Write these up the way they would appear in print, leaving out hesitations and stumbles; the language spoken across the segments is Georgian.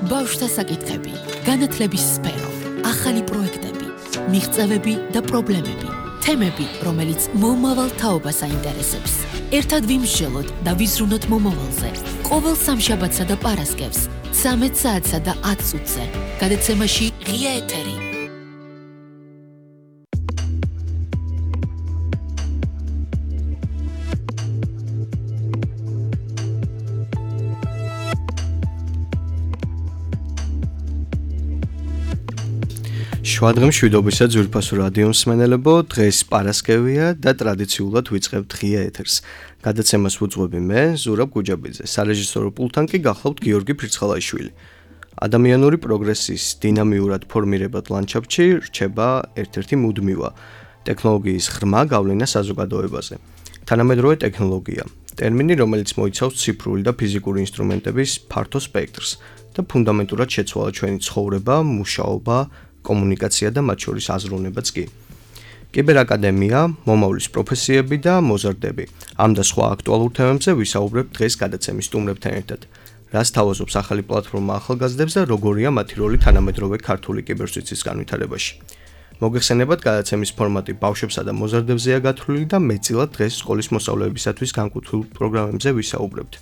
ბავშვთა საკითხები, განათლების სფერო, ახალი პროექტები, მიღწევები და პრობლემები, თემები, რომელიც მომავალ თაობას აინტერესებს. ერთად ვიმსჯელოთ და ვიზრუნოთ მომავალზე. ყოველ სამშაბათსა და პარასკევს, 13 საათსა და 10 წუთზე. გადაცემაში ღია ეთერი. შვადღემ შვიდობისა ძვირფასო რადიო მსმენელებო, დღეს პარასკევია და ტრადიციულად ვიწყებთ ღია ეთერს. გადაცემას ვუძღვები მე, ზურაბ გუჯაბიძე, სარეჟისორო პულტთან კი გახლავთ გიორგი ფირცხალაიშვილი. ადამიანური პროგრესის დინამიურად ფორმირებად ლანდშაფტში რჩება ერთ-ერთი მუდმივა ტექნოლოგიის ღრმა გავლენა საზოგადოებაზე. თანამედროვე ტექნოლოგია, ტერმინი, რომელიც მოიცავს ციფრული და ფიზიკური ინსტრუმენტების ფართო სპექტრს და ფუნდამენტურად შეცვალა ჩვენი ცხოვრება, მუშაობა, კომუნიკაცია და მათ შორის აზროვნებაც კი. კიბერაკადემია, მომავლის პროფესიები და მოზარდები. ამ და სხვა აქტუალურ თემებზე ვისაუბრებთ დღეს გადაცემის სტუმრებთან ერთად. რას თავაზობს ახალი პლატფორმა ახალგაზრდებს და როგორია მათი როლი თანამედროვე ქართული კიბერსვიცის განვითარებაში. მოგეხსენებათ, გადაცემის ფორმატი ბავშვებსა და მოზარდებზეა გათვლილი და მეტწილად დღეს სკოლის მოსწავლეებისათვის განკუთვნილ პროგრამებზე ვისაუბრებთ.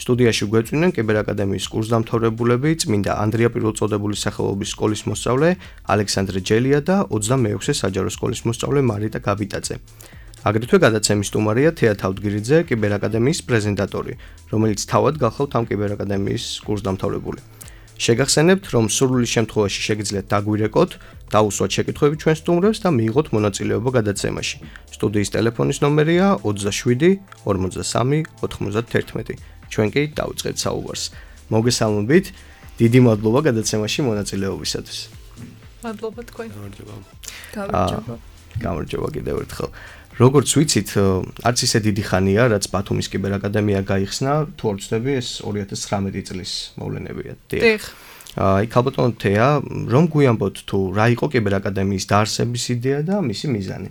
სტუდიაში გვეწვნენ კიბერაკადემიის კურსდამთავრებულები, წმინდა ანდრია პირველწოდებულის სახელობის სკოლის მოსწავლე ალექსანდრე ჯელია და 26-ე საჯარო სკოლის მოსწავლე მარიტა გაბიტაძე. აგრეთვე გადაცემის სტუმარია თეა თავდგირიძე, კიბერაკადემიის პრეზენტატორი, რომელიც თავად გახლავთ ამ კიბერაკადემიის კურსდამთავრებული. შეგახსენებთ, რომ სურვილის შემთხვევაში შეგიძლიათ დაგვირეკოთ, დაუსვათ შეკითხვები ჩვენ სტუმრებს და მიიღოთ მონაწილეობა გადაცემაში. სტუდიის ტელეფონის ნომერია 27 43 91. ჩვენ კი დავიწყებთ საუბარს. მოგესალმებით, დიდი მადლობა გადაცემაში მონაწილეობისათვის. მადლობა თქვენ. გამარჯობა კიდევ ერთხელ. როგორც ვიცით, არც ისე დიდი ხანია, რაც ბათუმის კიბერაკადემია გაიხსნა, თუ არ ვცდები, ეს 2019 წლის მოვლენებია. დიახ. იქ ალბათ თეა, რომ გვიამბოთ თუ რა იყო კიბერაკადემიის დაარსების იდეა და მისი მიზანი.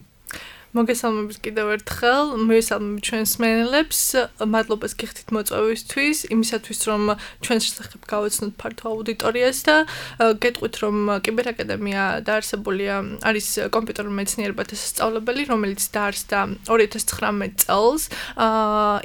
მოგესალმებით კიდევ ერთხელ, მივესალმებით ჩვენს მსმენელებს, მადლობას გიხდით მოწვევისთვის, იმისათვის რომ ჩვენს შესახებ გავაცნოთ ფართო აუდიტორიას და გეტყვით რომ კიბერაკადემია დაარსებულია არის კომპიუტერულ მეცნიერებათა სასწავლებელი, რომელიც დაარსდა 2019 წელს.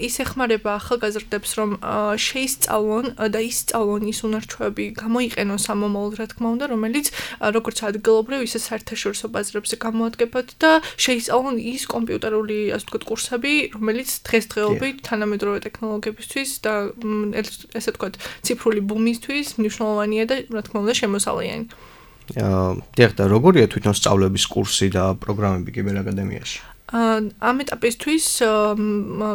ის ეხმარება ახალგაზრდებს რომ შეისწავლონ და ისწავლონ ის უნარჩვევები, გამოიყენონ სამომავლოდ, რა თქმა უნდა, რომელიც როგორც ადგილობრივ, ისე საერთაშორისო ბაზრებზე გამოადგებათ და შეისწავლონ ის კომპიუტერული, ასე ვთქვათ, კურსები, რომელიც დღესდღეობით თანამედროვე ტექნოლოგიებისთვის და ესე ვთქვათ, ციფრული ბუმისთვის მნიშვნელოვანია და რა თქმა უნდა შემოსავლიანი. დიახ, და როგორია თვითონ სწავლების კურსი და პროგრამები კიბერაკადემიაში? ამ ეტაპისთვის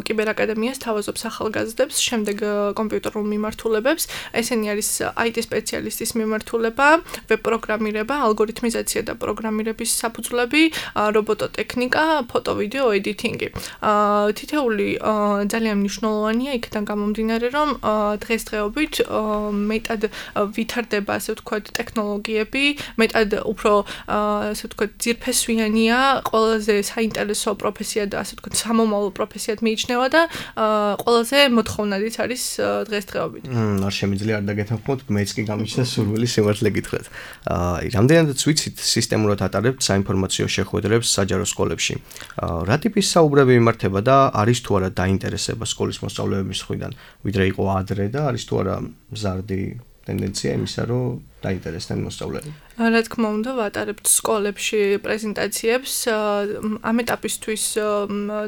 კიბერაკადემია სთავაზობს ახალგაზრდებს, შემდეგ კომპიუტერულ მიმართულებებს. ესენი არის IT სპეციალისტის მიმართულება, ვებ პროგრამირება, ალგორითმიზაცია და პროგრამირების საფუძვლები, რობოტოტექნიკა, ფოტო-ვიდეო ედიტინგი. თითეული ძალიან მნიშვნელოვანია იქიდან გამომდინარე, რომ დღესდღეობით მეტად ვითარდება, ასე ვთქვათ, ტექნოლოგიები, მეტად უფრო ასე ვთქვათ, ძირფესვიანია, ყველაზე საინტერესო პროფესია და ასე ვთქვათ, სამომავლო პროფესიად მიიჩნევა და ყველაზე მოთხოვნადიც არის დღესდღეობით. არ შემიძლია არ დაგეთანხმოთ, მეც კი გამიჩნდა სურვილი სიმართლე გითხრათ. რამდენადაც ვიცით, სისტემურად ატარებთ საინფორმაციო შეხვედრებს საჯარო სკოლებში. რა ტიპის საუბრები იმართება და არის თუ არა დაინტერესება სკოლის მოსწავლეების მხრიდან, ვიდრე იყო ადრე და არის თუ არა მზარდი ტენდენცია იმისა, რომ დაინტერესდნენ მოსწავლეები. რა თქმა უნდა, ვატარებთ სკოლებში პრეზენტაციებს. ამ ეტაპისთვის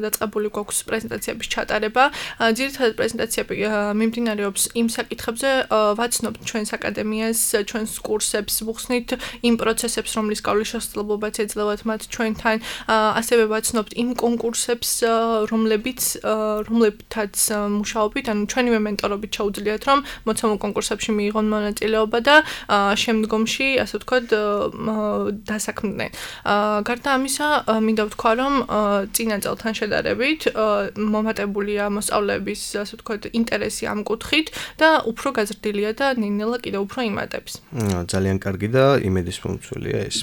დაწყებული გვაქვს პრეზენტაციების ჩატარება. ძირითადად პრეზენტაციები მიმდინარეობს იმ საკითხებზე, ვაცნობთ ჩვენს აკადემიას, ჩვენს კურსებს, ვუხსნით იმ პროცესებს, რომლის გავლის შესაძლებლობაც ეძლევათ მათ ჩვენთან. ასევე ვაცნობთ იმ კონკურსებს, რომლებითაც მუშაობით, ანუ ჩვენივე მენტორობით შეუძლიათ, რომ მოცემულ კონკურსებში მიიღონ მონაწილეობა და შემდგომში, ასე ვთქვათ, დასაქმდნენ. გარდა ამისა, მინდა ვთქვა, რომ წინა წელთან შედარებით მომატებულია მოსწავლეების, ასე ვთქვათ, ინტერესი ამ კუთხით და უფრო გაზრდილია და ნელ-ნელა კიდევ უფრო იმატებს. ძალიან კარგი და იმედისმომცველია ეს.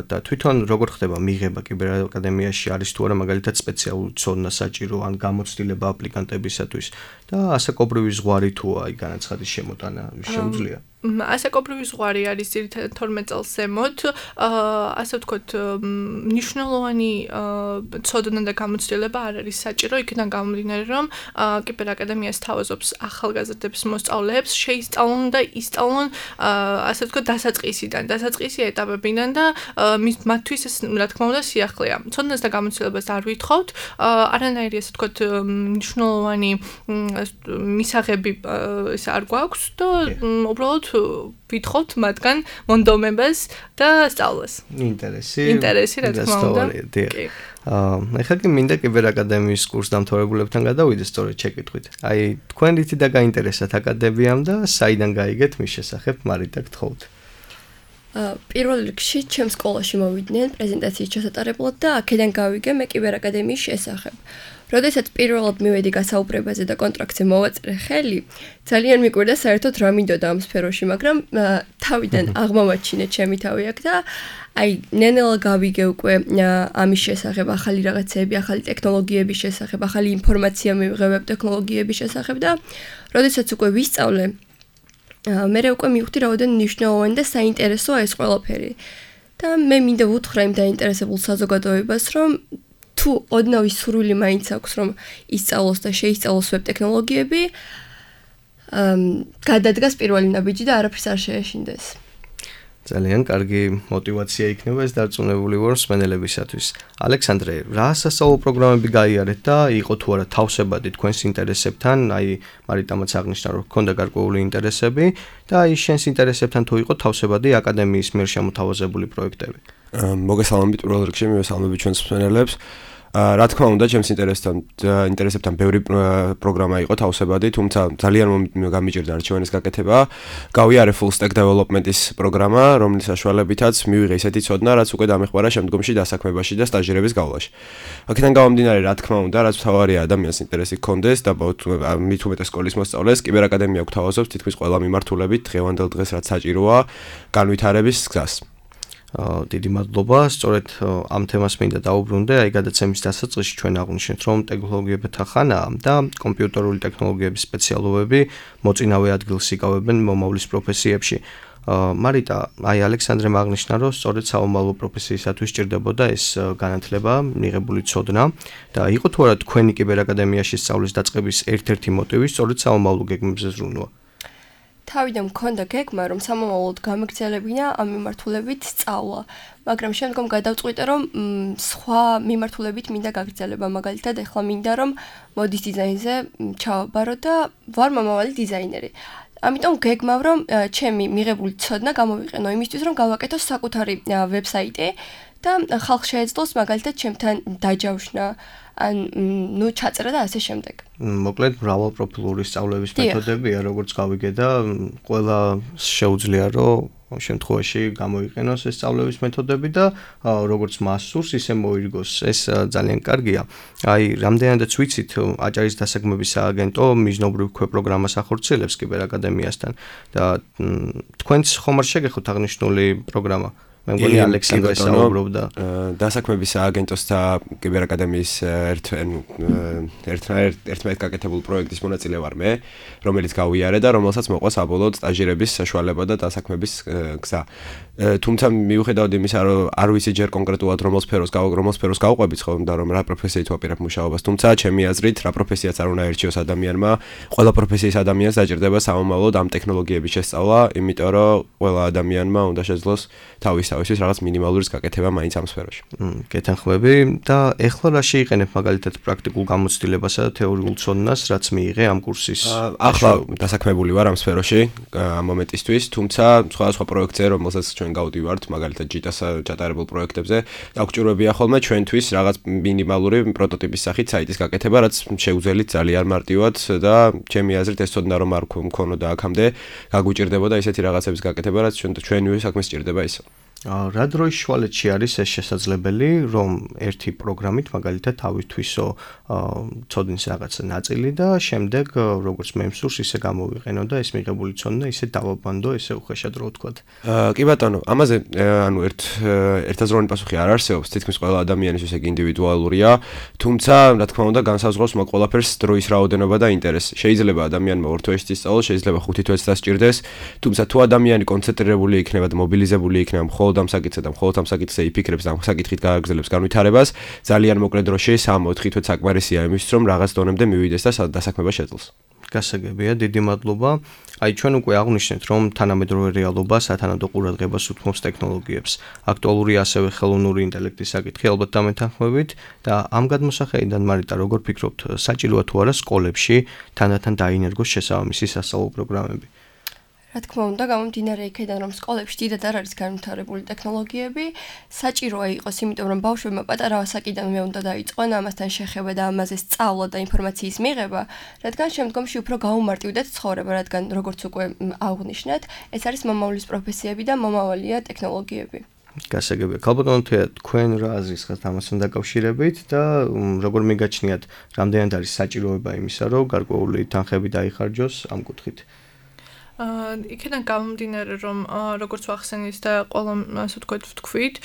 და თვითონ როგორ ხდება მიღება კიბერაკადემიაში, არის თუ არა მაგალითად სპეციალური ცოდნა საჭირო ან გამოცდილება აპლიკანტებისათვის და ასაკობრივი ზღვარი თუა, განაცხადის შემოტანა შეუძლია? ასაკობრივი ზღვარი არის ძირითადად 12 წელს ზემოთ, ასე ვთქვათ, მნიშვნელოვანი ცოდნა და გამოცდილება არ არის საჭირო, იქიდან გამომდინარე, რომ კიბერაკადემიას თავაზობს ახალგაზრდების მოსწავლეებს, შეისწავლონ და ისწავლონ, ასე ვთქვათ, დასაწყისი ეტაპებიდან და მათთვის ეს, რა თქმა უნდა, სიახლეა. ცოდნას და გამოცდილებას არ ვითხოვთ, არანაირი, ასე ვთქვათ, მნიშვნელოვანი მისაღები ეს არ გვაქვს და უბრალოდ ვითხოვთ მათგან მონდომებას და სწავლას. ინტერესი, რა თქმა უნდა. ეხლა კი მინდა კიბერაკადემიის კურსდამთავრებულებთან გადავიდე სწორედ შეკითხვით. აი, თქვენ რითი და გაინტერესათ აკადემიამ და საიდან გაიგეთ მის შესახებ მარიტა გთხოვთ. პირველ რიგში ჩემს სკოლაში მოვიდნენ პრეზენტაციის ჩასატარებლად და აქედან გავიგე მე კიბერაკადემიის შესახებ. როდესაც პირველად მივედი გასაუბრებაზე და კონტრაქტზე მოვაწერე ხელი, ძალიან მიკვირდა საერთოდ რა მინდოდა ამ სფეროში, მაგრამ თავიდან აღმოვაჩინე ჩემი თავი აქ და აი ნენელა გავიგე უკვე ამის შესახებ, ახალი რაღაცეები, ახალი ტექნოლოგიების შესახებ, ახალი ინფორმაცია მივიღებ ტექნოლოგიების შესახებ და როდესაც უკვე ვისწავლე, მე უკვე მივხვდი რაოდენ მნიშვნელოვანი და საინტერესოა ეს ყველაფერი. და მე მინდა ვუთხრა იმ დაინტერესებულ საზოგადოებას, რომ თუ ოდნავი სურვილი მაინც აქვს, რომ ისწავლოს და შეისწავლოს ვებ ტექნოლოგიები, გადადგას პირველი ნაბიჯი და არაფერს არ შეეშინდეს. ძალიან კარგი мотиваცია იქნება ეს დარწმუნებული ვარ მსმენელებისათვის. ალექსანდრე, რა სასწავლო პროგრამები გაიარეთ და იყო თუ არა თავსებადი თქვენს ინტერესებთან, აი მარიტამაც აღნიშნა რომ გქონდა გარკვეული ინტერესები და აი შენს ინტერესებთან თუ იყო თავსებადი აკადემიის მიერ შემოთავაზებული პროექტები. მოგესალმებით პირველ რიგში, მივესალმებით ჩვენს მსმენელებს. რა თქმა უნდა, ჩემს ინტერესებთან ბევრი პროგრამა იყო თავსებადი, თუმცა ძალიან გამიჭირდა არჩევანის გაკეთება. გავიარე full stack development-ის პროგრამა, რომლის საშუალებითაც მივიღე ისეთი ცოდნა, რაც უკვე დამეხმარა შემდგომში დასაქმებაში და სტაჟირების გავლაში. აქედან გამომდინარე, რა თქმა უნდა, რაც მთავარია ადამიანს ინტერესი ჰქონდეს და მით უმეტეს სკოლის მოსწავლეს, კიბერაკადემია გვთავაზობს თითქმის ყველა მიმართულებით დღევანდელ დღეს რაც საჭიროა განვითარების გზას. დიდი მადლობა, სწორედ ამ თემას მინდა დავუბრუნდე, აი გადაცემის დასაწყისში ჩვენ აღვნიშნეთ, რომ ტექნოლოგიებათა ხანაა და კომპიუტერული ტექნოლოგიების სპეციალობები მოწინავე ადგილს იკავებენ მომავლის პროფესიებში. მარიტა, აი ალექსანდრემ აღნიშნა, რომ სწორედ საომალო პროფესიისათვის სჭირდებოდა ეს განათლება, მიღებული ცოდნა და იყო თუ არა თქვენი კიბერაკადემიაში სწავლის დაწყების ერთ-ერთი მოტივი სწორედ საომალო გეგმებზე ზრუნვა. თავიდან მქონდა გეგმა, რომ სამომავლოდ გამეგრძელებინა ამ მიმართულებით სწავლა, მაგრამ შემდგომ გადავწყვიტე, რომ სხვა მიმართულებით მინდა გაგრძელება, მაგალითად, ეხლა მინდა რომ მოდის დიზაინზე ჩავაბარო და ვარ მომავალი დიზაინერი. ამიტომ გეგმავ, რომ ჩემი მიღებული ცოდნა გამოვიყენო იმისთვის, რომ გავაკეთო საკუთარი ვებსაიტი და ხალხს შეეძლოს მაგალითად ჩემთან დაჯავშნა ან ჩაწერა და ასე შემდეგ. მოკლედ მრავალპროფილური სწავლების მეთოდებია, როგორც გავიგე და ყველა შეუძლია რომ შემთხვევაში გამოიყენოს ეს სწავლების მეთოდები და როგორც მას სურს, ისე მოირგოს. ეს ძალიან კარგია. აი, რამდენადაც ვიცით, აჭარის დასაგმების სააგენტო მიზნობრივ პროგრამას ახორციელებს კიბერაკადემიასთან და თქვენც ხომ არ შეგეხოთ აღნიშნული პროგრამა? მე მგონი ალექსანდრე საუბრობდა დასაქმების სააგენტოს და კიბერაკადემიის ერთმანეთს გაკეთებულ პროექტის მონაწილე ვარ მე, რომელიც გავიარე და რომელსაც მოყვა საბოლოოდ სტაჟირების საშუალება და დასაქმების გზა. თუმცა მიუხედავად იმისა, რომ არ ვიცი ჯერ კონკრეტულად რომელ სფეროს გავყვებით ხომ და რომ რა პროფესიით ვაპირებ მუშაობას, თუმცა ჩემი აზრით რა პროფესიაც არ უნდა ერჩიოს ადამიანმა, ყველა პროფესიის ადამიანს დაჭირდება სამომავლოდ ამ ტექნოლოგიების შესწავლა, იმიტომ რომ ყველა ადამიანმა უნდა შეძლოს თავისთვის რაღაც მინიმალურის გაკეთება მაინც ამ სფეროში. გეთანხმები და ეხლა რა შეიყენებ მაგალითად პრაქტიკულ გამოცდილებასა და თეორიულ ცოდნას, რაც მიიღე ამ კურსის? ახლა დასაქმებული ვარ ამ სფეროში ამ მომენტისთვის, თუმცა სხვადასხვა პროექტზე, რომელსაც ჩვენ გავდივართ, მაგალითად ჯიტას ჩატარებულ პროექტებზე, დაგვჭირვებია ხოლმე ჩვენთვის რაღაც მინიმალური პროტოტიპის სახით საიტის გაკეთება, რაც შეუძლებელია ძალიან მარტივად და ჩემი აზრით ეს ცოდნა რომ არ მქონოდა აქამდე, გაგვიჭირდებოდა ისეთი რაღაცების გაკეთება, რაც ჩვენივე საქმეს სჭირდება ისო. რა დროის შუალედში არის ეს შესაძლებელი, რომ ერთი პროგრამით მაგალითად თავისთვისო ცოდნის რაღაცა ნაწილი და შემდეგ როგორც მე მსურს ისე გამოვიყენო და ეს მიღებული ცოდნა ისე დავაბანდო, ესე უხეშად რო ვთქვათ. კი ბატონო, ამაზე ანუ ერთაზროვანი პასუხი არ არსებობს, თითქმის ყველა ადამიანის ისე ინდივიდუალურია, თუმცა რა თქმა უნდა განსაზღვრავს მაგ ყველაფერს დროის რაოდენობა და ინტერესი. შეიძლება ადამიანმა 2 თვეში ისწავლოს, შეიძლება 5 თვეც დასჭირდეს, თუმცა თუ ადამიანი კონცენტრირებული იქნება და მობილიზებული იქნება მხოლოდ ამ საკითხზე და მხოლოდ ამ საკითხზე იფიქრებს და ამ საკითხით გააგრძელებს განვითარებას, ძალიან მოკლე დროში 3-4 თვე საკმარისია იმისთვის, რომ რაღაც დონემდე მივიდეს და დასაქმება შეძლოს. გასაგებია, დიდი მადლობა. აი ჩვენ უკვე აღვნიშნეთ, რომ თანამედროვე რეალობა სათანადო ყურადღებას უთმობს ტექნოლოგიებს. აქტუალურია ასევე ხელოვნური ინტელექტის საკითხი, ალბათ დამეთანხმებით და ამ გადმოსახედიდან მარიტა, როგორ ფიქრობთ, საჭიროა თუ არა სკოლებში თანდათან დაინერგოს შესაბამისი სასწავლო პროგრამები? რა თქმა უნდა, გამომდინარე იქიდან, რომ სკოლებში დიდად არ არის განვითარებული ტექნოლოგიები, საჭიროა იყოს, იმიტომ რომ ბავშვებმა პატარა ასაკიდანვე უნდა დაიწყონ ამასთან შეხება და ამაზე სწავლა და ინფორმაციის მიღება, რადგან შემდგომში უფრო გაუმარტივდეთ ცხოვრება, რადგან როგორც უკვე აღვნიშნეთ, ეს არის მომავლის პროფესიები და მომავალია ტექნოლოგიები. გასაგებია. ქალბატონო, თქვენ რა აზრის ხართ ამასთან დაკავშირებით და როგორ მიგაჩნიათ, რამდენად არის საჭიროება იმისა, რომ გარკვეული თანხები დაიხარჯოს ამ კუთხით? იქიდან გამომდინარე, რომ როგორც ვახსენეთ და ყველა ასე ვთქვით,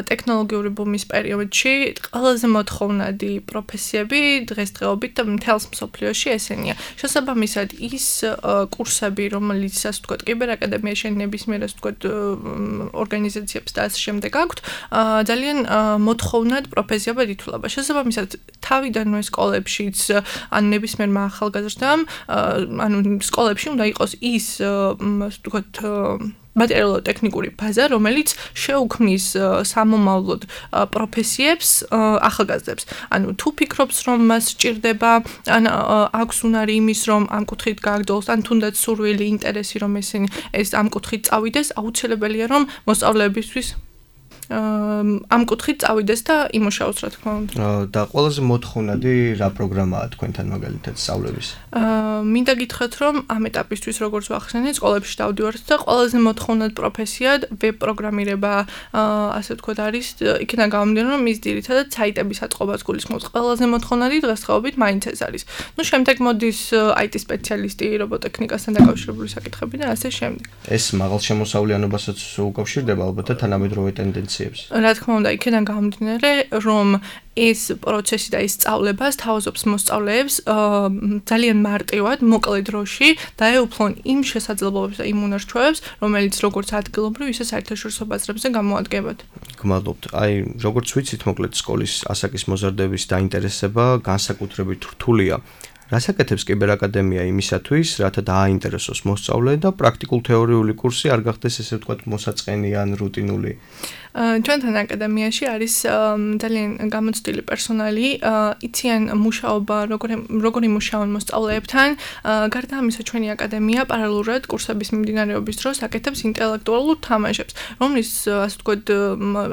ტექნოლოგიური ბუმის პერიოდში ყველაზე მოთხოვნადი პროფესიები დღესდღეობით და მთელს მსოფლიოში ესენია. შესაბამისად, ის კურსები, რომელიც ასე ვთქვათ, კიბერაკადემიაში ნებისმიერ ასე ვთქვათ ორგანიზაციებს და ასე შემდეგ აქვთ, ძალიან მოთხოვნად პროფესიებად ითვლება. შესაბამისად, თავიდანვე სკოლებშიც ან ნებისმიერმა ახალგაზრდამ, ანუ სკოლებში უნდა იყოს ის ვთქვათ მატერიალურ-ტექნიკური ბაზა, რომელიც შეუქმნის სამომავლოდ პროფესიებს ახალგაზრდებს. ანუ თუ ფიქრობს, რომ მას სჭირდება, ან აქვს უნარი იმის, რომ ამ კუთხით გააგრძელოს, ან თუნდაც სურვილი, ინტერესი, რომ ეს ამ კუთხით წავიდეს, აუცილებელია, რომ მოსწავლეებისთვის ამ კუთხით წავიდეს და იმუშაოს, რა თქმა უნდა. და ყველაზე მოთხოვნადი რა პროგრამაა თქვენთან მაგალითად სწავლების? მინდა გითხრათ, რომ ამ ეტაპისთვის როგორც ვახსენეთ, სკოლებში დავდივართ და ყველაზე მოთხოვნად პროფესიად ვებ პროგრამირება, ასე ვთქვათ, არის იქიდან გამომდინარე, რომ ის ძირითადად საიტების აწყობას გულისხმობს. ყველაზე მოთხოვნადი დღესდღეობით მაინც ეს არის. ნუ შემდეგ მოდის IT სპეციალისტი, რობოტექნიკასთან დაკავშირებული საკითხები და ასე შემდეგ. ეს მაღალ შემოსავლიანობასაც უკავშირდება ალბათ და თანამედროვე ტენდენციებს. რა თქმა უნდა, იქიდან გამომდინარე, რომ ეს პროცესი და ეს სწავლება სთავაზობს მოსწავლეებს ძალიან მარტივად, მოკლე დროში დაეუფლონ იმ შესაძლებლობებს და იმ უნარჩვევებს, რომელიც როგორც ადგილობრივ, ისე საერთაშორისო ბაზრებზე გამოადგებათ. გმადლობთ. აი, როგორც ვიცით, მოკლედ სკოლის ასაკის მოზარდების დაინტერესება განსაკუთრებით რთულია. რას აკეთებს კიბერაკადემია იმისათვის, რათა დააინტერესოს მოსწავლე და პრაქტიკულ-თეორიული კურსი არ გახდეს ესე ვთქვათ მოსაწყენი ან რუტინული? ჩვენთან აკადემიაში არის ძალიან გამოცდილი პერსონალი, იციან მუშაობა, როგორ იმუშავონ მოსწავლეებთან. გარდა ამისა, ჩვენი აკადემია პარალელურად კურსების მიმდინარეობის დროს აკეთებს ინტელექტუალურ თამაშებს, რომლის ასე ვთქვათ,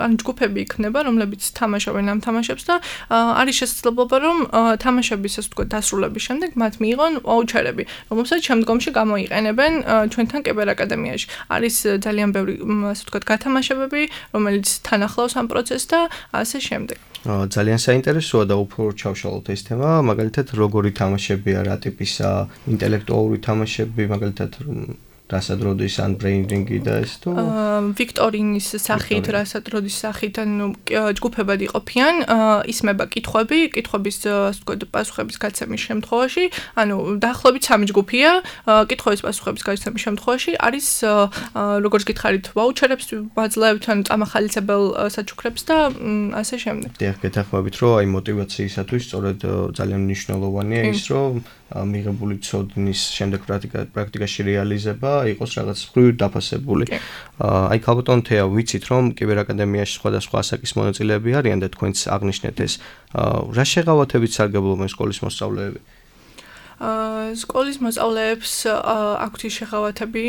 ან ჯგუფები იქნება, რომლებიც თამაშობენ ამ თამაშებს და არის შესაძლებლობა, რომ თამაშების ასე ვთქვათ დასრულების შემდეგ მათ მიიღონ ვაუჩერები, რომელსაც შემდგომში გამოიყენებენ ჩვენთან კიბერაკადემიაში. არის ძალიან ბევრი ასე ვთქვათ გათამაშებები, რომელიც თან ახლავს ამ პროცესს და ასე შემდეგ. ძალიან საინტერესოა და უფრო ჩავშალოთ ეს თემა, მაგალითად როგორი თამაშებია, რა ტიპისა ინტელექტუალური თამაშები, მაგალითად რასადროდის ან ბრეინრინგი და ეს თუ ვიქტორინის სახით, რასადროდის სახით, ანუ ჯგუფებად იყოფიან, ისმება კითხვების ასე ვთქვათ პასუხების გაცემის შემთხვევაში, ანუ დაახლოებით 3 ჯგუფია, კითხვების პასუხების გაცემის შემთხვევაში არის როგორც გითხარით, ვაუჩერებს ვაძლევთ, ანუ წამახალისებელ საჩუქრებს და ასე შემდეგ. დიახ, გეთანხმებით, რომ აი мотиваციისათვის სწორედ ძალიან მნიშვნელოვანია ის, რომ მიღებული ცოდნის შემდეგ პრაქტიკაში რეალიზება იყოს რაღაც მხრივ დაფასებული. აი ქალბატონ თეა, ვიცით რომ კიბერაკადემიაში სხვადასხვა ასაკის მონაწილეები არიან და თქვენც აღნიშნეთ ეს. რა შეღავათებით სარგებლობენ სკოლის მოსწავლეები? სკოლის მოსწავლეებს აქვთ ის შეღავათები,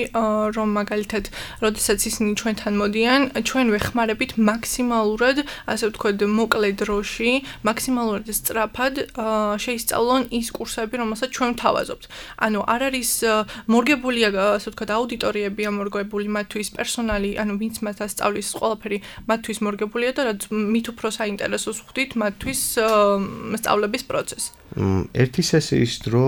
რომ მაგალითად, როდესაც ისინი ჩვენთან მოდიან, ჩვენ ვეხმარებით მაქსიმალურად, ასე ვთქვათ, მოკლე დროში, მაქსიმალურად სწრაფად შეისწავლონ ის კურსები, რომელსაც ჩვენ ვთავაზობთ. ანუ არ არის მორგებულია, ასე ვთქვათ, აუდიტორიები ამორგებული მათთვის პერსონალი, ანუ ვინც მათ ასწავლის ყველაფერი მათთვის მორგებულია და რაც მით უფრო საინტერესოს ხვდით მათთვის სწავლების პროცესს. ერთი სესიის დრო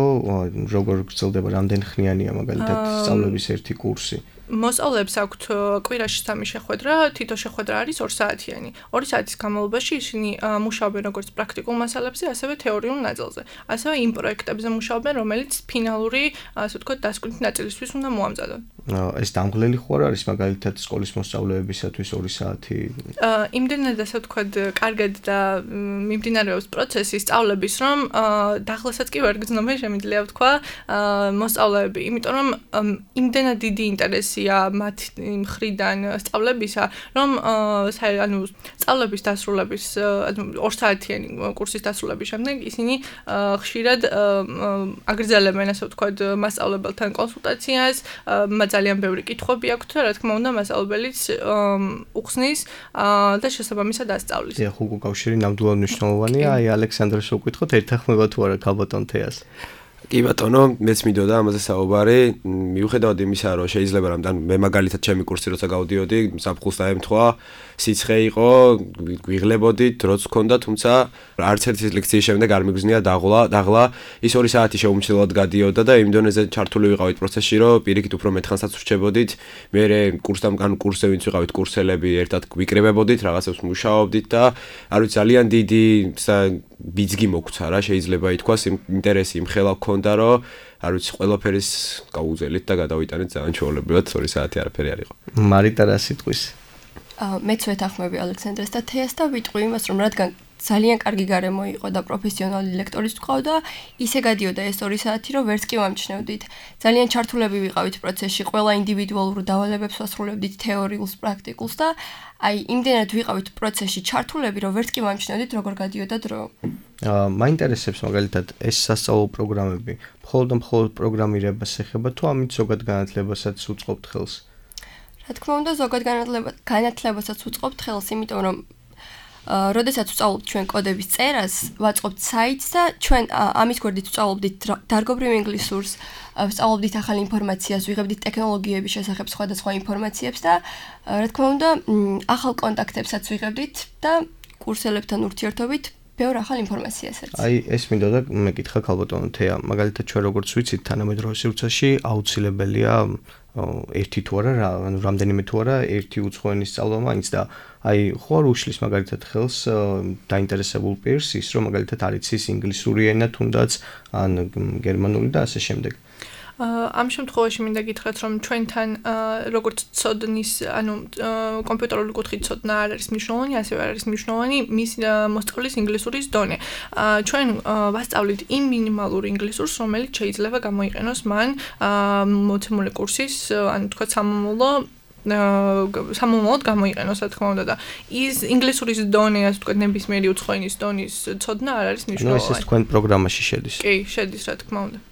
როგორ გრძელდება, რამდენი ხნიანია მაგალითად სწავლების ერთი კურსი? მოსწავლეებს აქვთ კვირაში 3 შეხვედრა, თითო შეხვედრა არის 2 საათიანი. 2 საათის განმავლობაში ისინი მუშაობენ როგორც პრაქტიკულ მასალებზე, ასევე თეორიულ ნაწილზე. ასევე იმ პროექტებზე მუშაობენ, რომელიც ფინალური, ასე ვთქვათ, დასკვნითი ნაწილისთვის უნდა მოამზადონ. ეს დამღლელი ხო არ არის მაგალითად სკოლის მოსწავლეებისათვის 2 საათი? იმდენად ასე ვთქვათ, კარგად და მიმდინარეობს პროცესი სწავლების, რომ დაღლასაც კი ვერ გძნობენ, შემიძლია ვთქვა, მოსწავლეები, იმიტომ რომ იმდენად დიდი ინტერესია მათ მხრიდან სწავლებისა, რომ ანუ სწავლების დასრულების, ანუ 2 საათიანი კურსის დასრულების შემდეგ ისინი ხშირად აგრძელებენ, ასე ვთქვათ, მასწავლებელთან კონსულტაციას, ძალიან ბევრი კითხვები აქვთ და რა თქმა უნდა მასწავლებელიც უხსნის და შესაბამისად ასწავლის. დიახ, უკვე კავშირი ნამდვილად მნიშვნელოვანია. აი ალექსანდრეს ვუკითხოთ, ეთანხმება თუ არა ქალბატონ თეას? კი ბატონო, მეც მინდოდა ამაზე საუბარი, მიუხედავად იმისა, რომ შეიძლება რამთან მე მაგალითად ჩემი კურსი როცა გავდიოდი, საფხულს დაემთხვა, სიცხე იყო, გვიღლებოდი, დროც ჰქონდა, თუმცა არც ერთი ლექციის შემდეგ არ მიგზნია დაღლა, ის 2 საათი შეუმჩნევლად გადიოდა და იმ დონეზე ჩართული ვიყავით პროცესში, რომ პირიქით უფრო მეთხანსაც ვრჩებოდით, მერე კურსზე ვინც ვიყავით კურსელები, ერთად გვიკრებებოდით, რაღაცებს მუშაობდით და არ ვიცი ძალიან დიდი ბიძგი მოგვცა რა, შეიძლება ითქვას, ინტერესი იმხელა გქონდა, რომ არ ვიცი, ყველაფერის გავუძელით და გადავიტანეთ ძალიან ჩვეულებრივად 2 საათი არაფერი არ იყო. მარიტა რა სიტყვის? მეც ვეთანხმები ალექსანდრეს და თეას და ვიტყვი იმას, რომ რადგან ძალიან კარგი გარემო იყო და პროფესიონალი ლექტორის ვყავდა, ისე გადიოდა ეს 2 საათი, რომ ვერც კი ვამჩნევდით. ძალიან ჩართულები ვიყავით პროცესში, ყველა ინდივიდუალურ დავალებებს ვასრულებდით, თეორიულს, პრაქტიკულს და აი იმდენად ვიყავით პროცესში ჩართულები, რომ ვერც კი ვამჩნევდით, როგორ გადიოდა დრო. მაინტერესებს მაგალითად ეს სასწავლო პროგრამები, მხოლოდ პროგრამირებას ეხება თუ ამით ზოგად განათლებასაც უწყობთ ხელს? რა თქმა უნდა, ზოგად განათლებასაც უწყობთ ხელს, იმიტომ რომ როდესაც ვსწავლობთ ჩვენ კოდების წერას, ვაწყობთ საიტს და ჩვენ ამის გვერდით ვსწავლობდით დარგობრივ ინგლისურს, ვსწავლობდით ახალ ინფორმაციას, ვიღებდით ტექნოლოგიების შესახებ სხვადასხვა ინფორმაციებს და რა თქმა უნდა, ახალ კონტაქტებსაც ვიღებდით და კურსელებთან ურთიერთობით ბევრ ახალ ინფორმაციას ერთს. აი, ეს მინდოდა მეკითხა ქალბატონო თეა, მაგალითად ჩვენ როგორც ვიცით, თანამედროვე სივრცეში აუცილებელია ერთი თუ არა, ანუ რამდენიმე თუ არა, ერთი უცხო ენის სწავლა მაინც და აი, ხო არ უშლის მაგალითად ხელს დაინტერესებულ პირს ის, რომ მაგალითად არ იცის ინგლისური ენა თუნდაც ან გერმანული და ასე შემდეგ. ამ შემთხვევაში მინდა გითხრათ, რომ ჩვენთან როგორც ცოდნის, ანუ კომპიუტერული კუთხით ცოდნა არ არის მნიშვნელოვანი, ასევე არ არის მნიშვნელოვანი მის მოსწავლის ინგლისურის დონე. ჩვენ ვასწავლით იმ მინიმალურ ინგლისურს, რომელიც შეიძლება გამოიყენოს მან მოცემული კურსის, ანუ თქვა სამომავლოდ გამოიყენოს, რა თქმა უნდა და ის ინგლისურის დონე, ასე ვთქვათ, ნებისმიერი უცხო ენის დონის ცოდნა არ არის მნიშვნელოვანი. ეს თქვენ პროგრამაში შედის. კი, შედის, რა თქმა უნდა.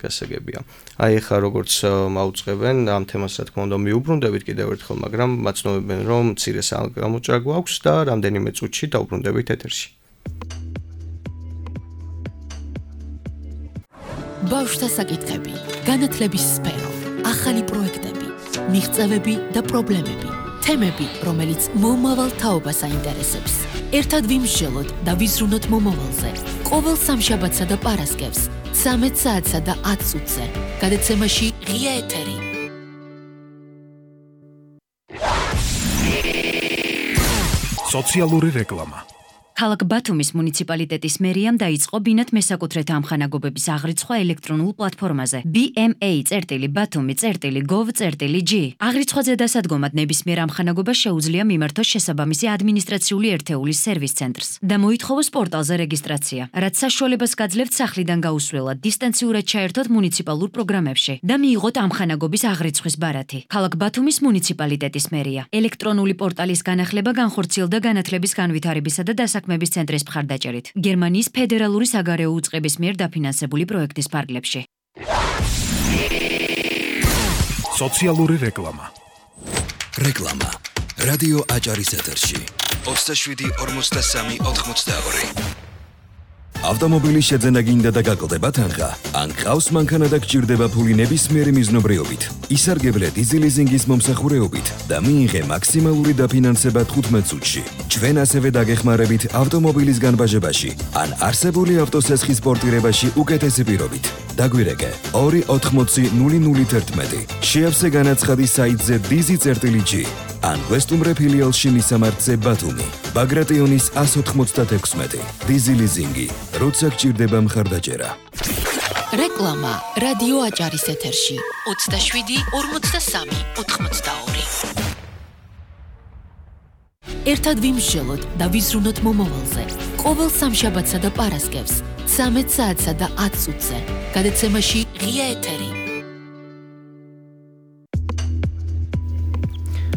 გასაგებია. აი ახლა როგორც მაუწყებენ ამ თემას, რა თქმა უნდა, მიუბრუნდებით კიდევ ერთხელ, მაგრამ მაცნობებენ, რომ მცირე გამოჭრა გვაქვს და რამდენიმე წუთში დავბრუნდებით ეთერში. ბავშვთა საკითხები, განათლების სფერო, ახალი პროექტები, მიღწევები და პრობლემები, თემები, რომელიც მომავალ თაობას აინტერესებს. ერთად ვიმსჯელოთ და ვიზრუნოთ მომავალზე. ყოველ სამშაბათსა და პარასკევს 13 საათსა და 10 წუთზე. გადაცემაში ღია ეთერი. სოციალური რეკლამა. ქალაქ ბათუმის მუნიციპალიტეტის მერიამ დაიწყო ბინათ მესაკუთრეთა ამხანაგობების აღრიცხვა ელექტრონულ პლატფორმაზე bma.batumi.gov.g. აღრიცხვაზე დასადგომად ნებისმიერ ამხანაგობას შეუძლია მიმართოს შესაბამისი ადმინისტრაციული ერთეულის სერვის ცენტრს და მოითხოვოს პორტალზე რეგისტრაცია, რაც საშუალებას გაძლევთ სახლიდან გაუსვლელად დისტანციურად ჩაერთოთ მუნიციპალურ პროგრამებში და მიიღოთ ამხანაგობის აღრიცხვის ბარათი. ქალაქ ბათუმის მუნიციპალიტეტის მერია ელექტრონული პორტალის განახლება განხორციელდა განათლების განვითარებისა და საქმეების ცენტრის მხარდაჭერით, გერმანიის ფედერალური საგარეო უწყების მიერ დაფინანსებული პროექტის ფარგლებში. სოციალური რეკლამა. რეკლამა. რადიო აჭარის ეთერში. 27-43-82. ავტომობილის შეძენა გინდა და გაკლდება თანხა. ან ყავს მანქანა და გჭირდება ფული ნებისმიერი მიზნობრიობით. ისარგებლე დიზელიზინგის მომსახურეობით და მიიღე მაქსიმალური დაფინანსება 15 წუთში. ჩვენ ასევე დაგეხმარებით ავტომობილის განბაჟებაში ან არსებული ავტოსესხის პორტირებაში უკეთესი პირობით. დაგვირეკე 280-001. შეავსე განაცხადი საიტზე dizi.g ან ვესტუმრე ფილიალში მისამართზე ბათუმი. ბაგრატიონის 196. დიზელიზინგი. როცა გჭირდება მხარდაჭერა. რეკლამა რადიო აჭარის ეთერში 27-43-82. ერთად ვიმსჯელოთ და ვიზრუნოთ მომავალზე. ყოველ სამშაბათსა და პარასკევს 13 საათსა და 10 წუთზე. გადაცემაში ღია ეთერი.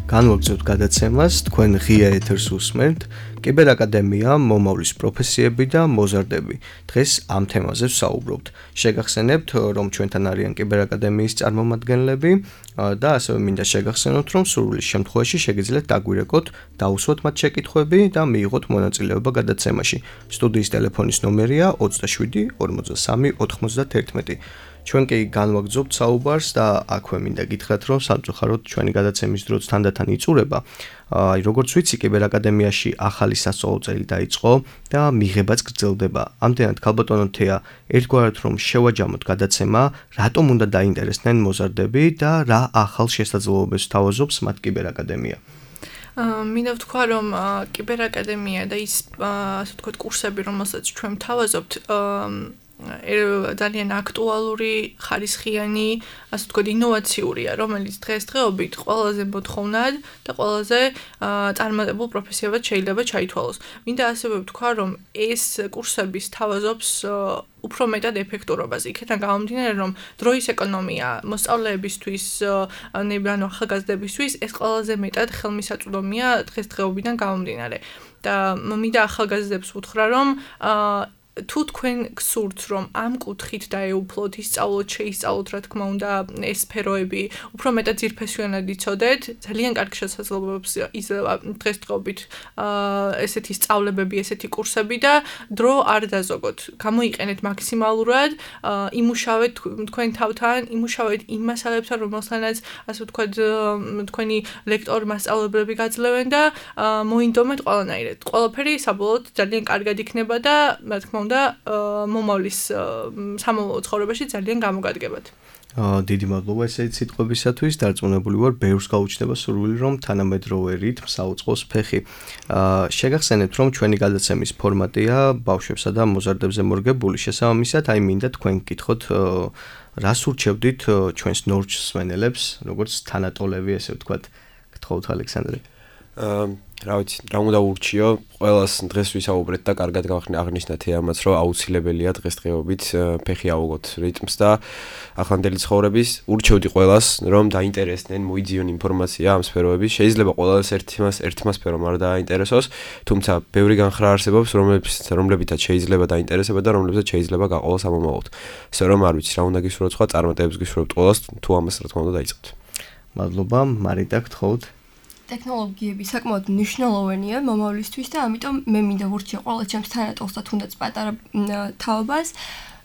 განვაგრძობთ გადაცემას, თქვენ ღია ეთერს უსმენთ. კიბერაკადემია, მომავლის პროფესიები და მოზარდები. დღეს ამ თემაზე ვსაუბრობთ. შეგახსენებთ, რომ ჩვენთან არიან კიბერაკადემიის წარმომადგენლები და ასევე მინდა შეგახსენოთ, რომ სურვილის შემთხვევაში შეგიძლიათ დაგვირეკოთ, დაუსვათ მათ შეკითხვები და მიიღოთ მონაწილეობა გადაცემაში. სტუდიის ტელეფონის ნომერია 27 43 91. ჩვენ კი განვაგრძობთ საუბარს და აქვე მინდა გითხრათ, რომ სამწუხაროდ ჩვენი გადაცემის დროც თანდათან იწურება. როგორც ვიცი, კიბერაკადემიაში ახალი სასწავლო წელი დაიწყო და მიღებაც გრძელდება. ამდენად ქალბატონო თეა, ერთგვარად რომ შევაჯამოთ გადაცემა, რატომ უნდა დაინტერესდნენ მოზარდები და რა ახალ შესაძლებლობებს თავაზობს მათ კიბერაკადემია? მინდა ვთქვა, რომ კიბერაკადემია და ის ასე ვთქვათ კურსები, რომელსაც ჩვენ ვთავაზობთ, ძალიან აქტუალური, ხარისხიანი, ასე ვთქვათ, ინოვაციურია, რომელიც დღესდღეობით ყველაზე მოთხოვნად და ყველაზე წარმატებულ პროფესიებად შეიძლება ჩაითვალოს. მინდა ასევე ვთქვა, რომ ეს კურსები თავაზობს უფრო მეტად ეფექტურობას. იქიდან გამომდინარე, რომ დროის ეკონომია მოსწავლეებისთვის, ანუ ახალგაზრდებისთვის ეს ყველაზე მეტად ხელმისაწვდომია დღესდღეობიდან გამომდინარე. და მინდა ახალგაზრდებს ვუთხრა, რომ თუ თქვენ გსურთ, რომ ამ კუთხით დაეუფლოთ, ისწავლოთ, შეისწავლოთ, რა თქმა უნდა, ეს სფეროები, უფრო მეტად ძირფესვიანად იცოდეთ, ძალიან კარგი შესაძლებლობებს იძლევა დღესდღეობით ესეთი სწავლებები, ესეთი კურსები და დრო არ დაზოგოთ. გამოიყენეთ მაქსიმალურად, იმუშავეთ თქვენ თავთან, იმუშავეთ იმ მასალებთან, რომელთანაც, ასე ვთქვათ, თქვენი ლექტორი, მასწავლებლები გაძლევენ და მოინდომეთ ყველანაირად. ყველაფერი საბოლოოდ ძალიან კარგად იქნება და, რა თქმა უნდა, მომავლის სამომავლო ცხოვრებაში ძალიან გამოგადგებათ. დიდი მადლობა ესეთი სიტყვებისათვის. დარწმუნებული ვარ, ბევრს გაუჩნდება სურვილი, რომ თანამედროვე რითმს აუწყოს ფეხი. შეგახსენებთ, რომ ჩვენი გადაცემის ფორმატია ბავშვებსა და მოზარდებზე მორგებული. შესაბამისად, მინდა თქვენ გკითხოთ, რას ურჩევდით ჩვენს ნორჩ მსმენელებს, როგორც თანატოლები, ესე ვთქვათ, გთხოვთ ალექსანდრე. რა ვიცი, რა უნდა ურჩიო, ყველას დღეს ვისაუბრეთ და კარგად აღნიშნა თეამაც, რომ აუცილებელია დღესდღეობით ფეხი აუღოთ რიტმს და ახლანდელი ცხოვრების. ურჩევდი ყველას, რომ დაინტერესდნენ, მოიძიონ ინფორმაცია ამ სფეროების. შეიძლება ყველას ერთმა სფერომ არ დააინტერესოს, თუმცა ბევრი განხრა არსებობს, რომლებითაც შეიძლება დაინტერესება და რომლებსაც შეიძლება გაყოლოს ამომავალთ. ასე რომ არ ვიცი, რა უნდა გისურვოთ სხვა, წარმატებებს გისურვებთ ყველას, თუ ამას რა თქმა უნდა დაიწყოთ. მადლობა, მარიტა, გთხოვთ. ტექნოლოგიები საკმაოდ მნიშვნელოვანია მომავლისთვის და ამიტომ მე მინდა ვურჩიო ყველა ჩემს თანატოლს და თუნდაც პატარა თაობას,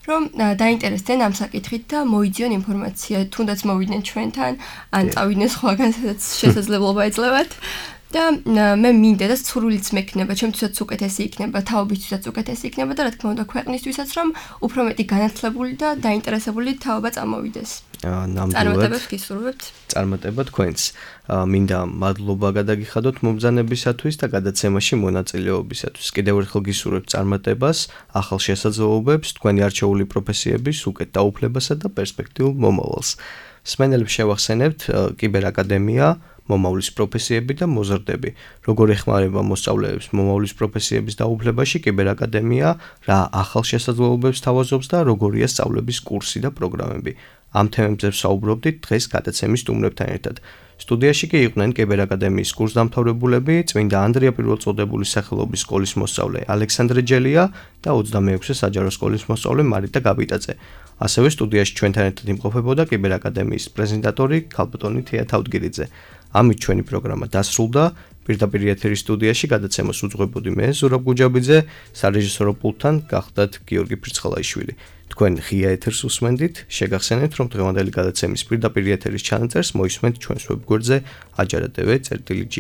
რომ დაინტერესდნენ ამ საკითხით და მოიძიონ ინფორმაცია, თუნდაც მოვიდნენ ჩვენთან, ან წავიდნენ სხვაგან, სადაც შესაძლებლობა ეძლევათ. და მე მინდა და სურვილიც მექნება, ჩემთვისაც უკეთესი იქნება, თაობისთვისაც უკეთესი იქნება და რა თქმა უნდა ქვეყნისთვისაც, რომ უფრო მეტი განათლებული და დაინტერესებული თაობა წამოვიდეს. წარმატებებს გისურვებთ. წარმატება თქვენს. მინდა მადლობა გადაგიხადოთ მომბრძანებისათვის და გადაცემაში მონაწილეობისათვის. კიდევ ერთხელ გისურვებთ წარმატებას, ახალ შესაძლებლობებს, თქვენი არჩეული პროფესიების უკეთ დაუფლებასა და პერსპექტიულ მომავალს. მსმენელებს შევახსენებთ კიბერაკადემია, მომავლის პროფესიები და მოზარდები. როგორ ეხმარება მოსწავლეებს მომავლის პროფესიების დაუფლებაში კიბერაკადემია, რა ახალ შესაძლებლობებს თავაზობს და როგორია სწავლების კურსი და პროგრამები. ამ თემებზე ვსაუბრობდით დღეს გადაცემის სტუმრებთან ერთად. სტუდიაში კი იყვნენ კიბერაკადემიის კურსდამთავრებულები, წმინდა ანდრია პირველწოდებულის სახელობის სკოლის მოსწავლე ალექსანდრე ჯელია და 26-ე საჯარო სკოლის მოსწავლე მარიტა გაბიტაძე. ასევე სტუდიაში ჩვენთან ერთად იმყოფებოდა კიბერაკადემიის პრეზიდენტორი ქალბატონი თეა თავდგირიძე. ამით ჩვენი პროგრამა დასრულდა. პირდაპირ ეთერის სტუდიაში გადაცემას უძღვებოდი მე, ზურაბ გუჯაბიძე, სარეჟისორო პულტთან გახდათ გიორგი ფრიცხალაიშვილი. თქვენ ღია ეთერს უსმენდით, შეგახსენებთ, რომ დღევანდელი გადაცემის პირდაპირ ეთერის ჩანაწერს მოისმენთ ჩვენს ვებგვერდზე ajartv.g.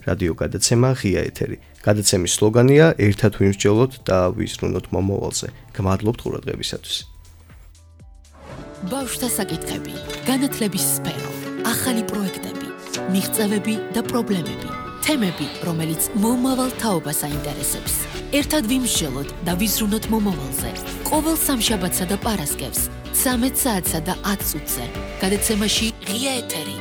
რადიო გადაცემა ღია ეთერი. გადაცემის სლოგანია ერთად ვიმსჯელოთ და ვიზრუნოთ მომავალზე. გმადლობთ ყურადღებისათვის. ბავშვთა საკითხები, განათლების სფერო, ახალი პროექტები, მიღწევები და პრობლემები, თემები, რომელიც მომავალ თაობას აინტერესებს. ერთად ვიმსჯელოთ და ვიზრუნოთ მომავალზე. ყოველ სამშაბათსა და პარასკევს 13 საათსა და 10 წუთზე. გადაცემაში ღია ეთერი.